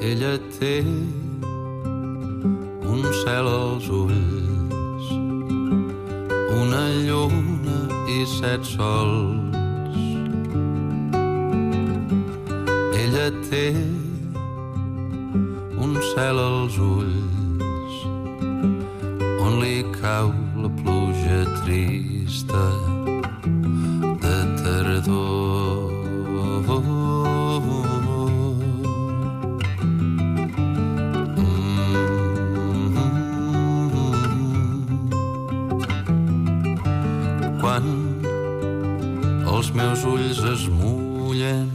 Ella té un cel als ulls, una lluna i 7 sols. Ella té un cel als ulls on li cau la pluja trista de tardor. Quan els meus ulls es mullen.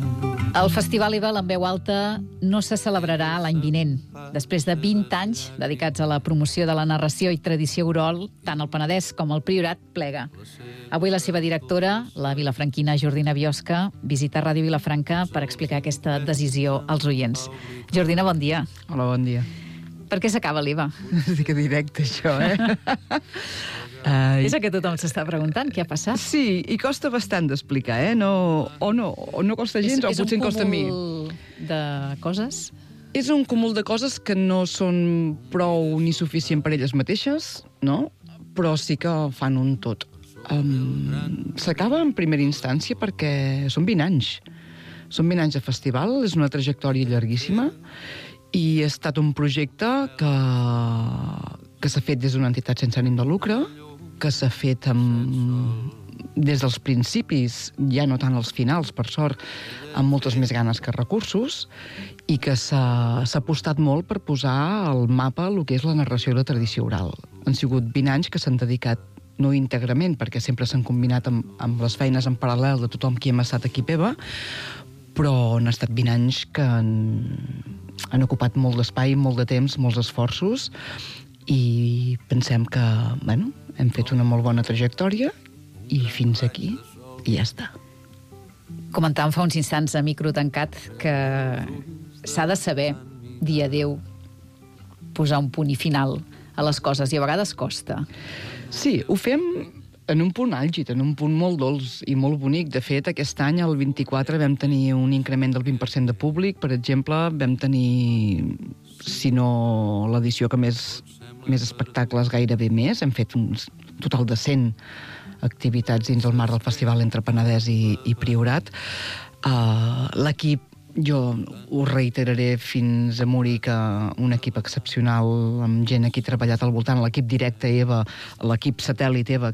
El Festival Ebal en veu alta no se celebrarà l'any vinent. Després de 20 anys dedicats a la promoció de la narració i tradició oral, tant el Penedès com el Priorat plega. Avui la seva directora, la vilafranquina Jordina Biosca, visita Ràdio Vilafranca per explicar aquesta decisió als oients. Jordina, bon dia. Hola, bon dia. Per què s'acaba l'Eva? Sí que directe, això, És el que tothom s'està preguntant, què ha passat? Sí, i costa bastant d'explicar, no costa gens, o potser em costa a mi. És un cúmul de coses? És un cúmul de coses que no són prou ni suficient per elles mateixes, no? Però sí que fan un tot. S'acaba en primera instància perquè són 20 anys. Són 20 anys de festival, és una trajectòria llarguíssima, i ha estat un projecte que s'ha fet des d'una entitat sense ànim de lucre, que s'ha fet des dels principis, ja no tant als finals, per sort, amb moltes més ganes que recursos, i que s'ha apostat molt per posar al mapa el que és la narració i la tradició oral. Han sigut 20 anys que s'han dedicat, no íntegrament, perquè sempre s'han combinat amb les feines en paral·lel de tothom qui hem estat aquí a Peva, però han estat 20 anys que han ocupat molt d'espai, molt de temps, molts esforços, i pensem que, hem fet una molt bona trajectòria i fins aquí, i ja està. Comentàvem fa uns instants a micro tancat que s'ha de saber dir adéu, posar un punt i final a les coses, i a vegades costa. Sí, ho fem en un punt àlgid, en un punt molt dolç i molt bonic. De fet, aquest any, el 24, vam tenir un increment del 20% de públic. Per exemple, vam tenir, si no l'edició que més espectacles, gairebé més. Hem fet un total de 100 activitats dins el marc del festival entre Penedès i Priorat. L'equip, jo ho reiteraré fins a morir, que un equip excepcional, amb gent aquí treballat al voltant, l'equip directe EVA, l'equip satèl·lit EVA,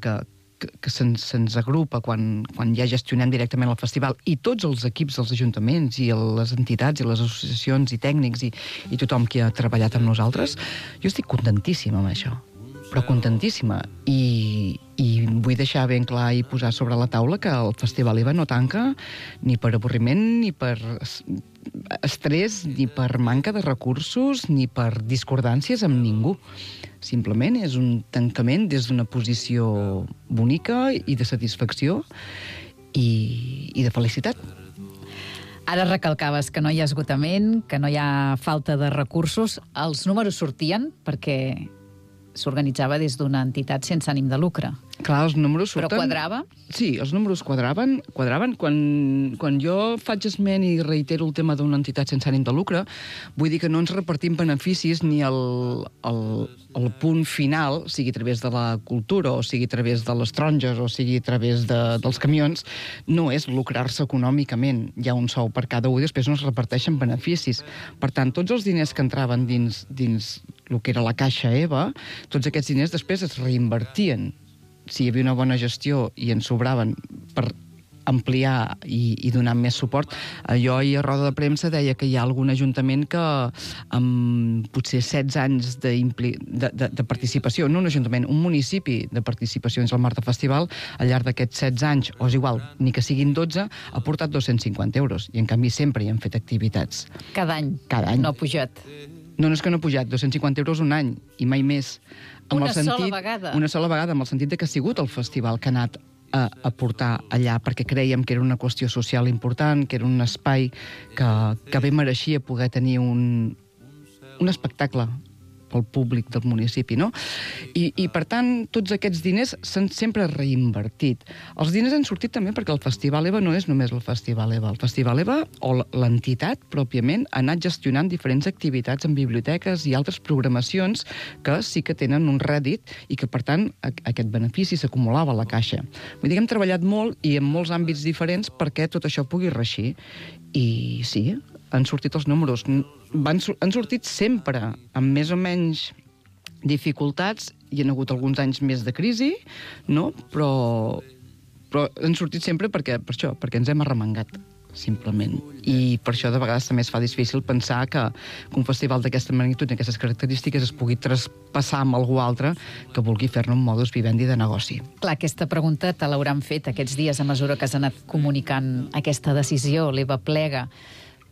que se'ns agrupa quan ja gestionem directament el festival, i tots els equips dels ajuntaments i les entitats i les associacions i tècnics i tothom qui ha treballat amb nosaltres. Jo estic contentíssima amb això, però contentíssima, i vull deixar ben clar i posar sobre la taula que el Festival EVA no tanca ni per avorriment, ni per estrès, ni per manca de recursos, ni per discordàncies amb ningú. Simplement és un tancament des d'una posició bonica i de satisfacció i de felicitat. Ara recalcaves que no hi ha esgotament, que no hi ha falta de recursos. Els números sortien perquè s'organitzava des d'una entitat sense ànim de lucre. Clar, els números surten... Però quadrava? Sí, els números quadraven. Quan jo faig esment i reitero el tema d'una entitat sense ànim de lucre, vull dir que no ens repartim beneficis ni el punt final, sigui a través de la cultura, o sigui a través de les taronges, o sigui a través dels camions, no és lucrar-se econòmicament. Hi ha un sou per cada un i després no es reparteixen beneficis. Per tant, tots els diners que entraven dins el que era la caixa EVA, tots aquests diners després es reinvertien. Si hi havia una bona gestió i en sobraven per ampliar i donar més suport. Jo ahir a roda de premsa deia que hi ha algun ajuntament que amb potser 16 anys de participació, no un ajuntament, un municipi de participació dins el marc de festival, al llarg d'aquests 16 anys, o és igual, ni que siguin 12, ha portat 250 euros. I en canvi sempre hi han fet activitats. Cada any? Cada any. No ha pujat? No és que no ha pujat, 250 euros un any, i mai més. Sola vegada? Una sola vegada, amb el sentit que ha sigut el festival que ha anat a portar allà, perquè creiem que era una qüestió social important, que era un espai que bé mereixia poder tenir un espectacle pel públic del municipi, no? I per tant, tots aquests diners s'han sempre reinvertit. Els diners han sortit també perquè el Festival EVA no és només el Festival EVA. El Festival EVA, o l'entitat pròpiament, ha anat gestionant diferents activitats en biblioteques i altres programacions que sí que tenen un rèdit i que, per tant, aquest benefici s'acumulava a la caixa. Vull dir que hem treballat molt i en molts àmbits diferents perquè tot això pugui reeixir. I sí, han sortit els números. Han sortit sempre amb més o menys dificultats. Hi ha hagut alguns anys més de crisi, no? Però han sortit sempre per això, perquè ens hem arremangat, simplement. I per això de vegades també es fa difícil pensar que un festival d'aquesta magnitud i aquestes característiques es pugui traspassar amb algú altre que vulgui fer-ne un modus vivendi de negoci. Clar, aquesta pregunta te l'hauran fet aquests dies a mesura que has anat comunicant aquesta decisió, l'EVA plega.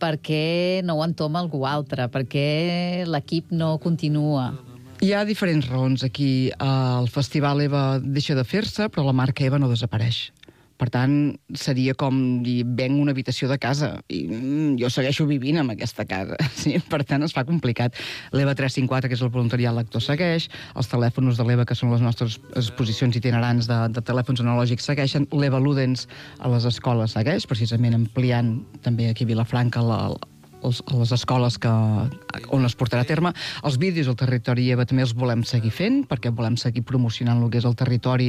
Per què no ho entoma algú altre? Per què l'equip no continua? Hi ha diferents raons aquí. El Festival EVA deixa de fer-se, però la marca EVA no desapareix. Per tant, seria com dir, venc una habitació de casa i jo segueixo vivint en aquesta casa. Sí? Per tant, es fa complicat. L'EVA 354, que és el voluntariat lector, segueix. Els telèfons de l'EVA, que són les nostres exposicions itinerants de telèfons analògics, segueixen. L'EVA Ludens a les escoles segueix, precisament ampliant també aquí a Vilafranca a les escoles on es portarà a terme. Els vídeos al territori EVA també els volem seguir fent, perquè volem seguir promocionant el que és el territori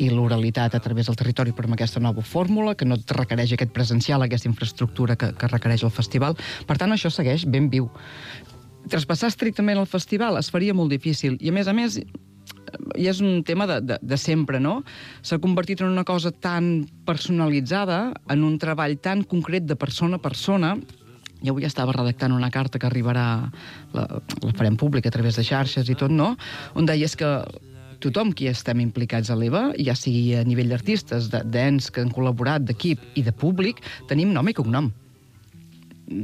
i l'oralitat a través del territori, però amb aquesta nova fórmula, que no requereix aquest presencial, aquesta infraestructura que requereix el festival. Per tant, això segueix ben viu. Traspassar estrictament el festival es faria molt difícil. I, a més, i és un tema de sempre, no? S'ha convertit en una cosa tan personalitzada, en un treball tan concret de persona a persona. Jo avui estava redactant una carta que arribarà, la farem pública a través de xarxes i tot, no? On deies que tothom qui estem implicats a l'EVA, ja sigui a nivell d'artistes, d'ens que han col·laborat, d'equip i de públic, tenim nom i cognom.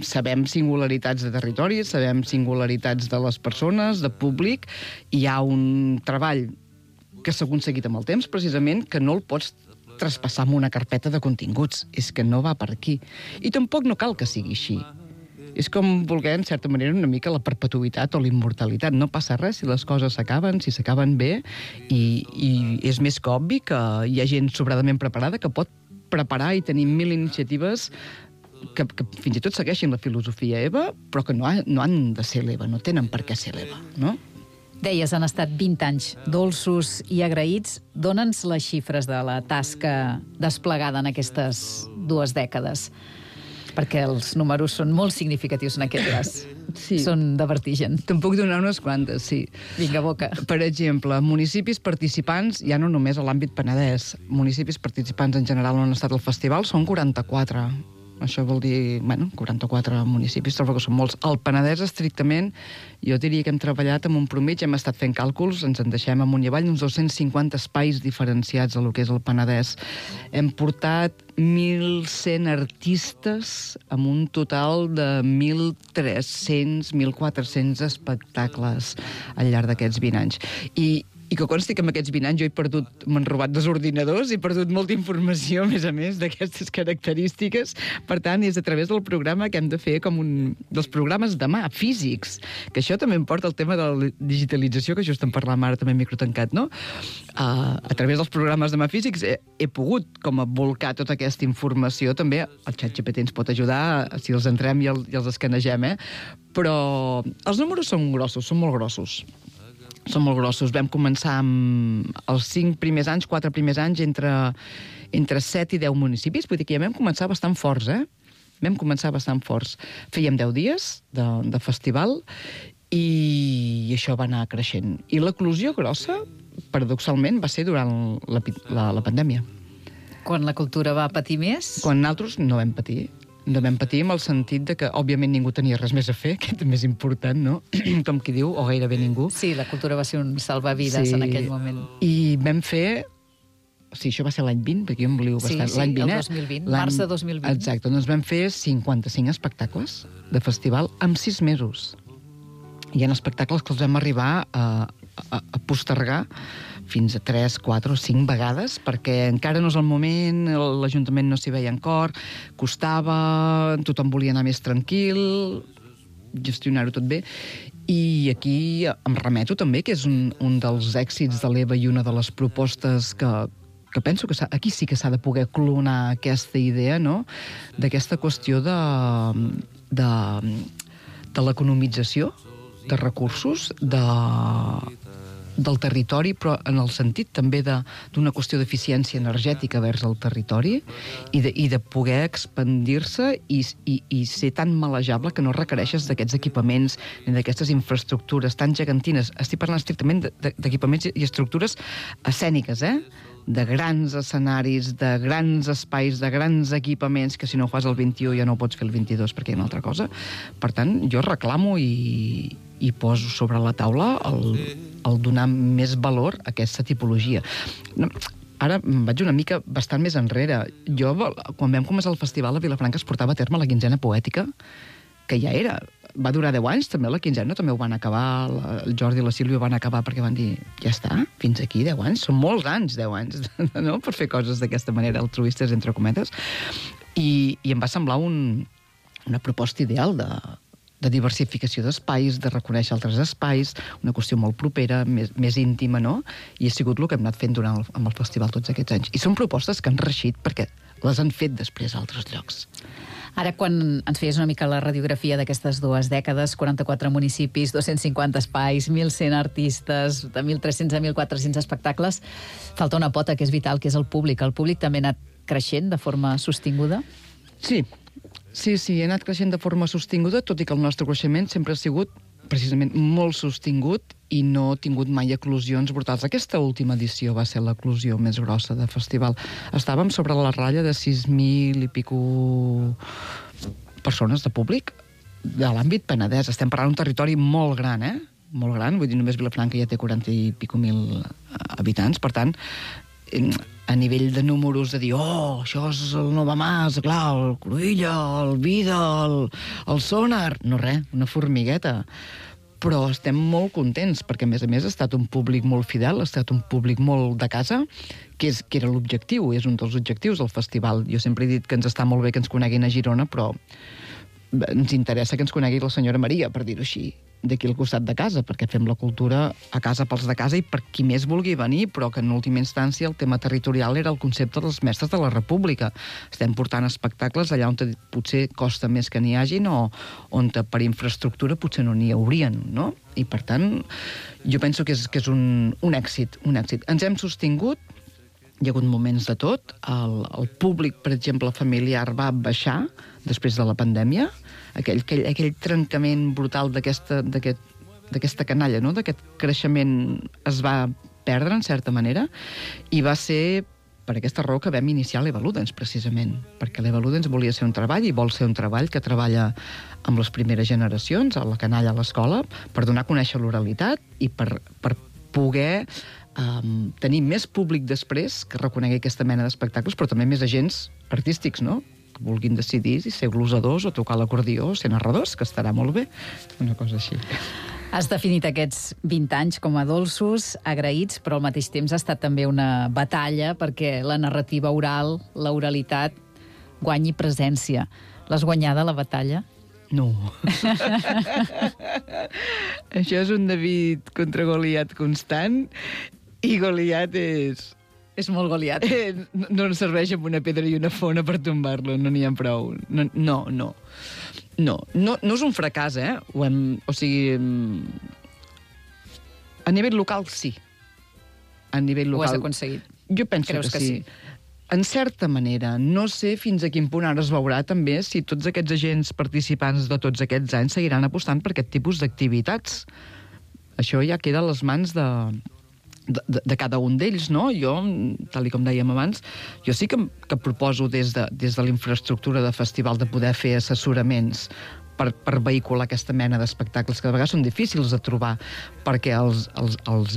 Sabem singularitats de territori, sabem singularitats de les persones, de públic, i hi ha un treball que s'ha aconseguit amb el temps, precisament, que no el pots traspassar amb una carpeta de continguts. És que no va per aquí. I tampoc no cal que sigui així. És com voler, en certa manera, una mica la perpetuïtat o la immortalitat. No passa res si les coses s'acaben, si s'acaben bé, i és més que obvi que hi ha gent sobradament preparada que pot preparar i tenir 1000 iniciatives que fins i tot segueixin la filosofia EVA, però que no han de ser l'EVA, no tenen per què ser l'EVA, no? Deies, han estat 20 anys dolços i agraïts. Dóna'ns les xifres de la tasca desplegada en aquestes 2 dècades, perquè els números són molt significatius en aquest cas. Sí. Són de vertigen. Te'n puc donar unes quantes, sí. Vinga, boca. Per exemple, municipis participants, ja no només a l'àmbit Penedès, municipis participants en general on ha estat el festival són 44. Això vol dir, 44 municipis, trobo que són molts. Al Penedès, estrictament, jo diria que hem treballat amb un promig, hem estat fent càlculs, ens en deixem amunt i avall, uns 250 espais diferenciats a lo que és el Penedès. Hem portat 1.100 artistes amb un total de 1.300, 1.400 espectacles al llarg d'aquests 20 anys. I que consti que en aquests 20 anys jo m'han robat 2 ordinadors, he perdut molta informació, a més d'aquestes característiques. Per tant, és a través del programa que hem de fer com dels programes de mà, físics, que això també em porta al tema de la digitalització, que just en parlàvem ara també microtancat, no? A través dels programes de mà físics he pogut com a volcar tota aquesta informació, també el ChatGPT ens pot ajudar si els entrem i els escanegem, però els números són grossos, són molt grossos. Són molt grossos. Vam començar amb els 4 primers anys, entre 7 i 10 municipis. Vull dir que ja vam començar bastant forts, Vam començar bastant forts. Fèiem 10 dies de festival i això va anar creixent. I l'eclosió grossa, paradoxalment, va ser durant la pandèmia. Quan la cultura va patir més? Quan nosaltres no vam patir. No vam patir en el sentit de que, òbviament, ningú tenia res més a fer, que és més important, no? Com qui diu, o gairebé ningú. Sí, la cultura va ser un salvavides en aquell moment. I vam fer... Sí, això va ser l'any 20, perquè jo em voliu bastant. Sí, el 2020, març de 2020. Exacte, doncs vam fer 55 espectacles de festival en 6 mesos. Hi ha espectacles que els vam arribar a postergar fins a 3, 4 o 5 vegades, perquè encara no és el moment, l'Ajuntament no s'hi veia en cor, costava, tothom volia anar més tranquil, gestionar-ho tot bé, I aquí em remeto també, que és un dels èxits de l'Eva i una de les propostes que penso que aquí sí que s'ha de poder clonar aquesta idea, no?, d'aquesta qüestió de l'economització de recursos, del territori, però en el sentit també d'una qüestió d'eficiència energètica vers el territori i de poder expandir-se i ser tan malejable que no requereixes d'aquests equipaments ni d'aquestes infraestructures tan gegantines. Estic parlant estrictament d'equipaments i estructures escèniques, de grans escenaris, de grans espais, de grans equipaments, que si no ho fas el 21 ja no ho pots fer el 22 perquè hi ha una altra cosa. Per tant, jo reclamo i poso sobre la taula el donar més valor a aquesta tipologia. Ara vaig una mica bastant més enrere. Jo, quan vam començar el festival, a Vilafranca es portava a terme la quinzena poètica, que ja era. Va durar 10 anys, també la quinzena, també ho van acabar, el Jordi i la Sílvia ho van acabar perquè van dir, ja està, fins aquí 10 anys, són molts anys, 10 anys, no?, per fer coses d'aquesta manera, altruistes, entre cometes, i em va semblar una proposta ideal de diversificació d'espais, de reconèixer altres espais, una qüestió molt propera, més íntima, no?, i ha sigut el que hem anat fent amb el festival tots aquests anys. I són propostes que han reeixit perquè les han fet després a altres llocs. Ara, quan ens feies una mica la radiografia d'aquestes 2 dècades, 44 municipis, 250 espais, 1.100 artistes, de 1.300 a 1.400 espectacles, falta una pota que és vital, que és el públic. El públic també ha anat creixent de forma sostinguda? Sí, ha anat creixent de forma sostinguda, tot i que el nostre creixement sempre ha sigut precisament molt sostingut i no ha tingut mai eclosions brutals. Aquesta última edició va ser l'eclosió més grossa de festival. Estàvem sobre la ratlla de 6.000 i pico persones de públic de l'àmbit Penedès. Estem parlant d'un territori molt gran, molt gran, vull dir, només Vilafranca ja té 40 i pico mil habitants, per tant, a nivell de números, de dir, això és el Novamàs, clar, el Cruïlla, el Vida, el Sonar... No res, una formigueta. Però estem molt contents, perquè, a més, ha estat un públic molt fidel, ha estat un públic molt de casa, que era l'objectiu, és un dels objectius del festival. Jo sempre he dit que ens està molt bé que ens coneguin a Girona, però ens interessa que ens conegui la senyora Maria, per dir-ho així, d'aquí al costat de casa, perquè fem la cultura a casa pels de casa i per qui més vulgui venir, però que en última instància el tema territorial era el concepte dels mestres de la República. Estem portant espectacles allà on potser costa més que n'hi hagin o on per infraestructura potser no n'hi haurien, no? I per tant, jo penso que és un èxit, un èxit. Ens hem sostingut, hi ha hagut moments de tot, el públic, per exemple, familiar va baixar després de la pandèmia, aquell trencament brutal d'aquesta canalla, no?, d'aquest creixement es va perdre, en certa manera, i va ser per aquesta raó que vam iniciar l'Eva Ludens, precisament, perquè l'Eva Ludens volia ser un treball i vol ser un treball que treballa amb les primeres generacions, a la canalla a l'escola, per donar a conèixer l'oralitat i per poder tenir més públic després que reconegui aquesta mena d'espectacles, però també més agents artístics, no?, que vulguin decidir si ser glosadors o tocar l'acordió o ser narradors, que estarà molt bé, una cosa així. Has definit aquests 20 anys com a dolços, agraïts, però al mateix temps ha estat també una batalla perquè la narrativa oral, l'oralitat, guanyi presència. L'has guanyada, la batalla? No. Això és un David contra Goliat constant, i Goliat és... És molt Goliat. No ens serveix amb una pedra i una fona per tombar-lo, no n'hi ha prou. No és un fracàs, o sigui... A nivell local, sí. A nivell local... Ho has aconseguit. Jo penso que sí. En certa manera, no sé fins a quin punt ara es veurà també si tots aquests agents participants de tots aquests anys seguiran apostant per aquest tipus d'activitats. Això ja queda a les mans de cada un d'ells, no? Jo, tal com dèiem abans, jo sí que proposo des de la infraestructura de festival de poder fer assessoraments per vehicular aquesta mena d'espectacles que de vegades són difícils de trobar, perquè els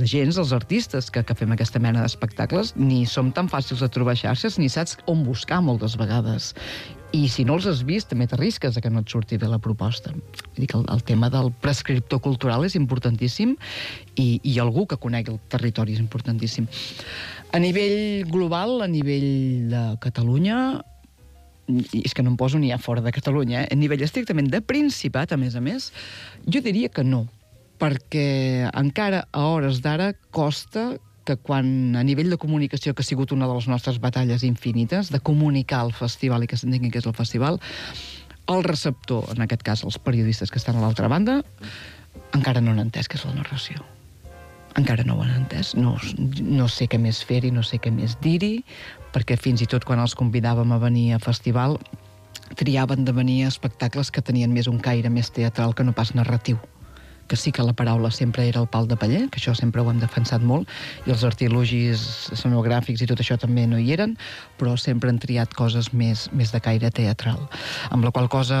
agents, els artistes que fem aquesta mena d'espectacles, ni som tan fàcils de trobar xarxes, ni saps on buscar moltes vegades. I si no els has vist, també t'arrisques a que no et surti bé la proposta. Vull dir que el tema del prescriptor cultural és importantíssim i algú que conegui el territori és importantíssim. A nivell global, a nivell de Catalunya, i és que no em poso ni a fora de Catalunya, a nivell estrictament de Principat, a més, jo diria que no. perquè encara a hores d'ara costa que quan a nivell de comunicació, que ha sigut una de les nostres batalles infinites, de comunicar el festival i que s'entengui què és el festival, el receptor, en aquest cas els periodistes que estan a l'altra banda, encara no han entès què és la narració. Encara no ho han entès. No sé què més fer-hi, no sé què més dir-hi, perquè fins i tot quan els convidàvem a venir a festival triaven de venir a espectacles que tenien més un caire més teatral que no pas narratiu. Que sí que la paraula sempre era el pal de paller, que això sempre ho hem defensat molt, i els artilugis escenogràfics i tot això també no hi eren, però sempre han triat coses més de caire teatral. Amb la qual cosa,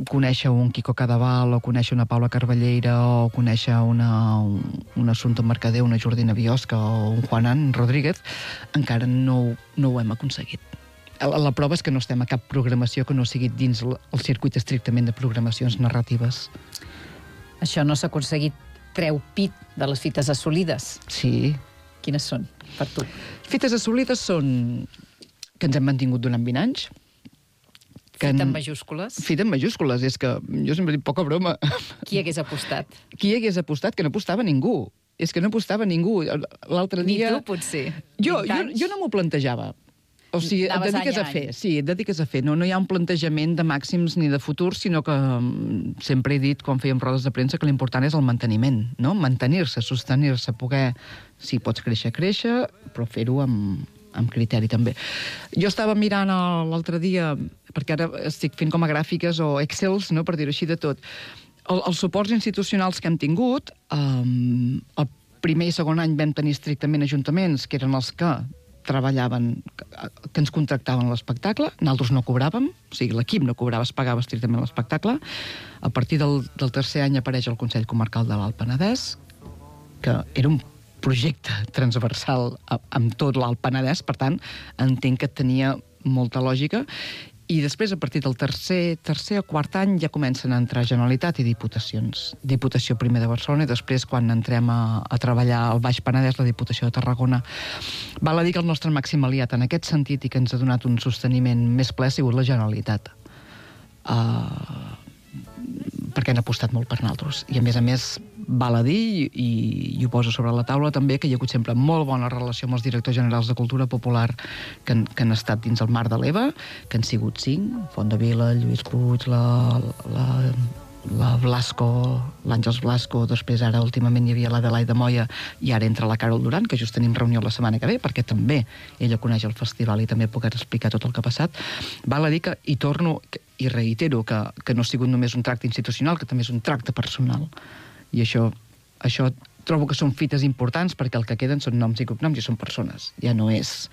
conèixer un Quico Cadaval, o conèixer una Paula Carballeira, o conèixer una Assumpta Mercader, una Jordina Biosca, o un Juanan Rodríguez, encara no ho hem aconseguit. La prova és que no estem a cap programació que no sigui dins el circuit estrictament de programacions narratives. Això no s'ha aconseguit. Treu pit de les fites assolides. Sí. Quines són, per tu? Fites assolides són que ens hem mantingut durant 20 anys. Fita en majúscules? Fita en majúscules. És que jo sempre dic poca broma. Qui hagués apostat? Qui hagués apostat? Que no apostava ningú. És que no apostava ningú. L'altre dia... Ni tu, potser. Jo no m'ho plantejava. O sigui, et dediques a fer. Sí, et dediques a fer. No hi ha un plantejament de màxims ni de futur, sinó que sempre he dit, quan fèiem rodes de premsa, que l'important és el manteniment, no? Mantenir-se, sostenir-se, poder... Si pots créixer, però fer-ho amb criteri, també. Jo estava mirant l'altre dia, perquè ara estic fent com a gràfiques o excels, no?, per dir-ho així de tot. Els suports institucionals que hem tingut, el primer i segon any vam tenir estrictament ajuntaments, que eren els que treballaven, que ens contractaven l'espectacle, nosaltres no cobràvem, o sigui, l'equip no cobrava, es pagava estrictament l'espectacle. A partir del tercer any apareix el Consell Comarcal de l'Alt Penedès, que era un projecte transversal amb tot l'Alt Penedès, per tant, entenc que tenia molta lògica, i després, a partir del tercer o quart any, ja comencen a entrar Generalitat i Diputacions. Diputació primer de Barcelona, i després, quan entrem a treballar al Baix Penedès, la Diputació de Tarragona. Val a dir que el nostre màxim aliat en aquest sentit i que ens ha donat un sosteniment més ple ha sigut la Generalitat. Perquè han apostat molt per nosaltres. I, a més, val a dir, i ho poso sobre la taula també, que hi ha hagut sempre molt bona relació amb els directors generals de Cultura Popular que han estat dins el mar de l'EVA, que han sigut 5, Fondavila, Lluís Puig, la Blasco, l'Àngels Blasco, després ara últimament hi havia l'Adelaida Moya i ara entra la Carol Duran, que just tenim reunió la setmana que ve, perquè també ella coneix el festival i també puc explicar tot el que ha passat. Val a dir que, i torno i reitero, que no ha sigut només un tracte institucional, que també és un tracte personal. I això trobo que són fites importants, perquè el que queden són noms i cognoms i són persones. Ja no és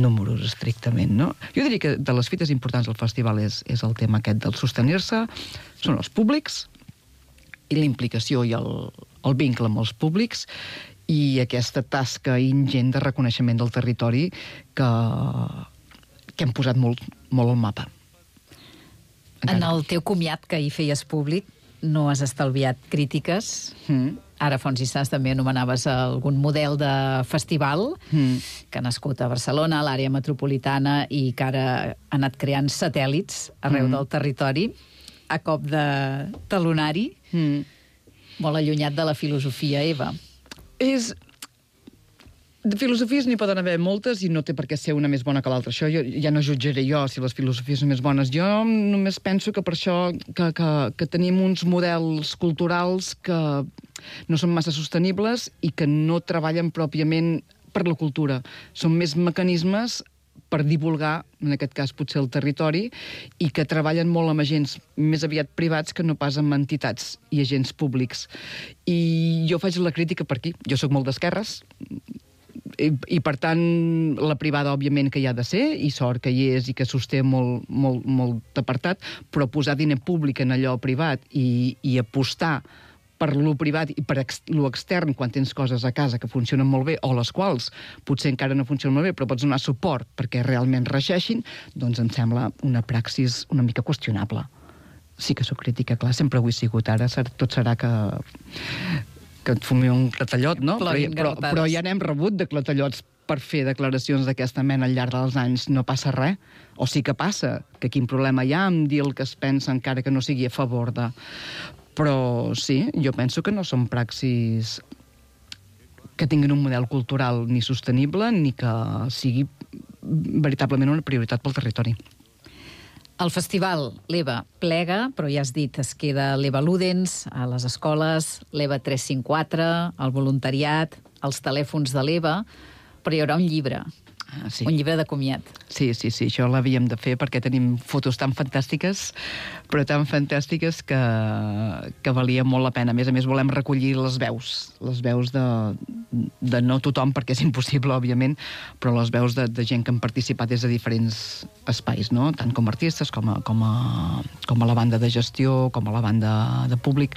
números estrictament, no? Jo diria que de les fites importants del festival és el tema aquest del sostenir-se, són els públics i la implicació i el vincle amb els públics i aquesta tasca ingent de reconeixement del territori que hem posat molt al mapa. En el teu comiat que hi feies públic no has estalviat crítiques. Ara, Fons i Sants, també anomenaves algun model de festival que ha nascut a Barcelona, a l'àrea metropolitana, i que ara ha anat creant satèl·lits arreu del territori a cop de talonari, molt allunyat de la filosofia EVA. De filosofies n'hi poden haver moltes i no té per què ser una més bona que l'altra. Això ja no jutjaré jo si les filosofies són més bones. Jo només penso que per això que tenim uns models culturals que no són massa sostenibles i que no treballen pròpiament per la cultura. Són més mecanismes per divulgar, en aquest cas potser el territori, i que treballen molt amb agents més aviat privats que no pas amb entitats i agents públics. I jo faig la crítica per aquí. Jo sóc molt d'esquerres, i per tant la privada òbviament que hi ha de ser, i sort que hi és i que sosté molt apartat, però posar diner públic en allò privat i apostar per lo privat i per lo extern quan tens coses a casa que funcionen molt bé o les quals potser encara no funcionen molt bé però pots donar suport perquè realment reixeixin, doncs em sembla una praxis una mica qüestionable. Sí que sóc crítica, clar, sempre ho he sigut. Ara tot serà que et fumi un clatellot, no? Però ja n'hem rebut de clatellots per fer declaracions d'aquesta mena al llarg dels anys. No passa res. O sí que passa, que quin problema hi ha amb dir el que es pensa encara que no sigui a favor de... Però sí, jo penso que no són praxis que tinguin un model cultural ni sostenible ni que sigui veritablement una prioritat pel territori. El festival l'EVA plega, però ja has dit, es queda l'EVA Ludens a les escoles, l'EVA 354, el voluntariat, els telèfons de l'EVA, però hi haurà un llibre, un llibre de comiat. Sí, això l'havíem de fer perquè tenim fotos tan fantàstiques, però tan fantàstiques que valia molt la pena. A més, volem recollir les veus de no tothom, perquè és impossible, òbviament, però les veus de gent que han participat des de diferents espais, no? Tant com a artistes, com a la banda de gestió, com a la banda de públic.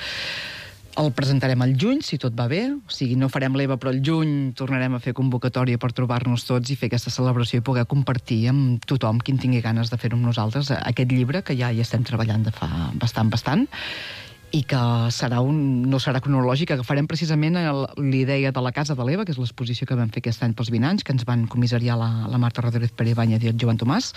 El presentarem al juny, si tot va bé. O sigui, no farem l'EVA, però al juny tornarem a fer convocatòria per trobar-nos tots i fer aquesta celebració i poder compartir amb tothom, qui en tingui ganes de fer-ho amb nosaltres, aquest llibre que ja hi estem treballant de fa bastant, i que no serà cronològic, agafarem precisament l'idea de la Casa de l'EVA, que és l'exposició que vam fer aquest any pels 20 anys, que ens van comissariar la Marta Rodríguez Perebanya i el Joan Tomàs,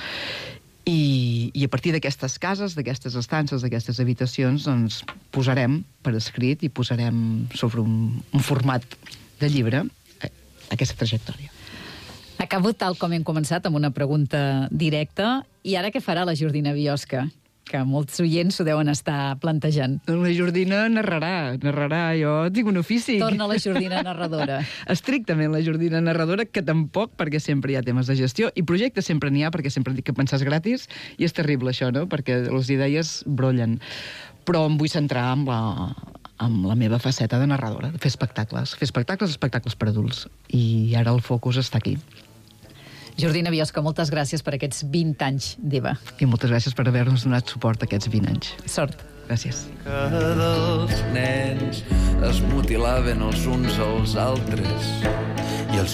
i a partir d'aquestes cases, d'aquestes estances, d'aquestes habitacions, doncs posarem per escrit i posarem sobre un format de llibre aquesta trajectòria. Acabo tal com hem començat, amb una pregunta directa. I ara què farà la Jordina Biosca? Que molts oients s'ho deuen estar plantejant. La Jordina narrarà. Jo tinc un ofici. Torna la Jordina narradora. Estrictament la Jordina narradora, que tampoc, perquè sempre hi ha temes de gestió, i projectes sempre n'hi ha, perquè sempre dic que pensar és gratis, i és terrible això, no?, perquè les idees brollen. Però em vull centrar amb la meva faceta de narradora, de fer espectacles per adults. I ara el focus està aquí. Jordina Biosca, moltes gràcies per aquests 20 anys d'EVA. I moltes gràcies per haver-nos donat suport aquests 20 anys. Sort. Gràcies. Dels nens es mutilaven els uns als altres i els